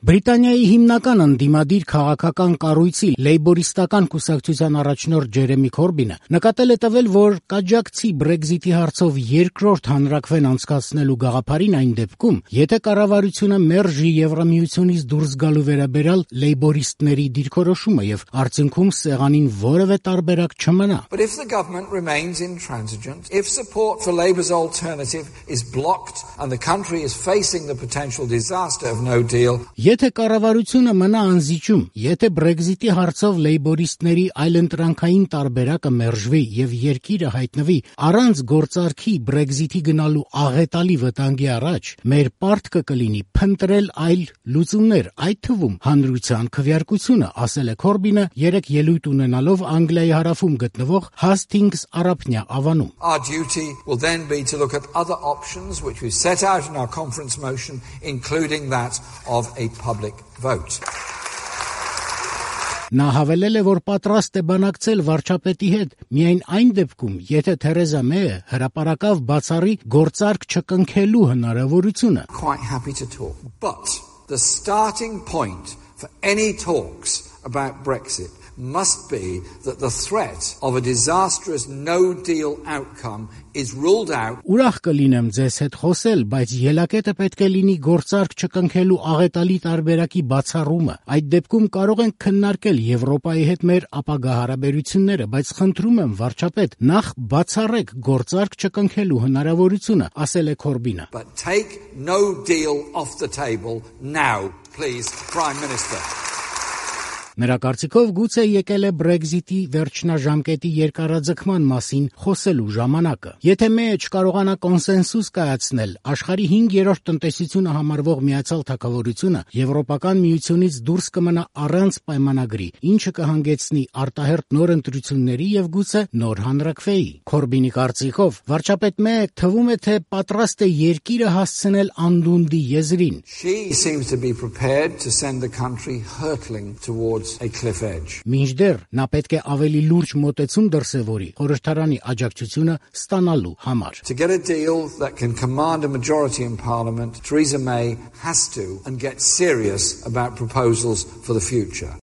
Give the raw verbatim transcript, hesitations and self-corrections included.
Բրիտանիայի հիմնական ընդդիմադիր քաղաքական կառույցի լեյբորիստական կուսակցության առաջնորդ Ջերեմի Քորբինը նկատել է տվել, որ կաջակցի Բրեքզիթի հարցով երկրորդ հանրաքվեն անցկացնելու գաղափարին այն դեպքում, եթե կառավարությունը մերժի Եվրամիությունից դուրս գալու վերաբերյալ լեյբորիստների դիրքորոշումը եւ արդյունքում սեղանին որևէ տարբերակ չմնա. But if the government remains intransigent, if support for Labour's alternative is blocked and the country is facing the potential disaster of no deal, Եթե կառավարությունը մնա անզիջում, եթե Բրեքզիթի հարցով լեյբորիստների այլընտրանքային տարբերակը մերժվի եւ երկիրը հայտնվի առանց գործարքի Բրեքզիթի գնալու աղետալի վտանգի առաջ, մեր պարտքը կլինի փնտրել այլ լուծումներ, այդ թվում հանրության քվեարկությունը, ասել է Քորբինը երեք ելույթ ունենալով Անգլիայի հարավում գտնվող Հաստինգս Արաբնյա ավանում. Our duty will then be to look at other options which we set out in our conference motion, including that of a public vote. Նա հավելել է, որ պատրաստ է բանակցել վարչապետի հետ միայն այն դեպքում, եթե Թերեզա Մեյը հրապարակավ բացառի գործարք չկնքելու հնարավորությունը. Quite happy to talk, but the starting point for any talks about Brexit must be that the threat of a disastrous no-deal outcome is ruled out. Ուրախ կլինեմ ձեզ հետ խոսել, բայց ելակետը պետք է լինի գործարք չկնքելու աղետալի տարբերակի բացառումը. Այդ դեպքում կարող ենք քննարկել Եվրոպայի հետ մեր ապագա հարաբերությունները, բայց խնդրում եմ վարչապետ, նախ բացառեք գործարք չկնքելու հնարավորությունը, ասել է Քորբինը. But take no deal off the table now, please, Prime Minister. Նրա կարծիքով գուցե եկել է Բրեքզիթի վերջնաժամկետի երկարաձգման մասին խոսելու ժամանակը. Եթե Մեյը չկարողանա կոնսենսուս կայացնել, աշխարհի հինգերորդ տնտեսությունը համարվող Միացյալ Թագավորությունը Եվրոպական միությունից դուրս կմնա առանց պայմանագրի, ինչը կհանգեցնի արտահերթ նոր ընտրությունների եւ գուցե նոր հանրաքվեի. Քորբինի կարծիքով վարչապետ Մեյը թվում է, թե պատրաստ է երկիրը հասցնել անդունդի եզրին. She seems to be prepared to send the country hurtling towards a cliff edge. Մինչդեռ նա պետք է ավելի լուրջ մոտեցում դրսևորի խորհրդարանի աջակցությունը ստանալու համար. To get a deal that can command a majority in Parliament, Theresa May has to and get serious about proposals for the future.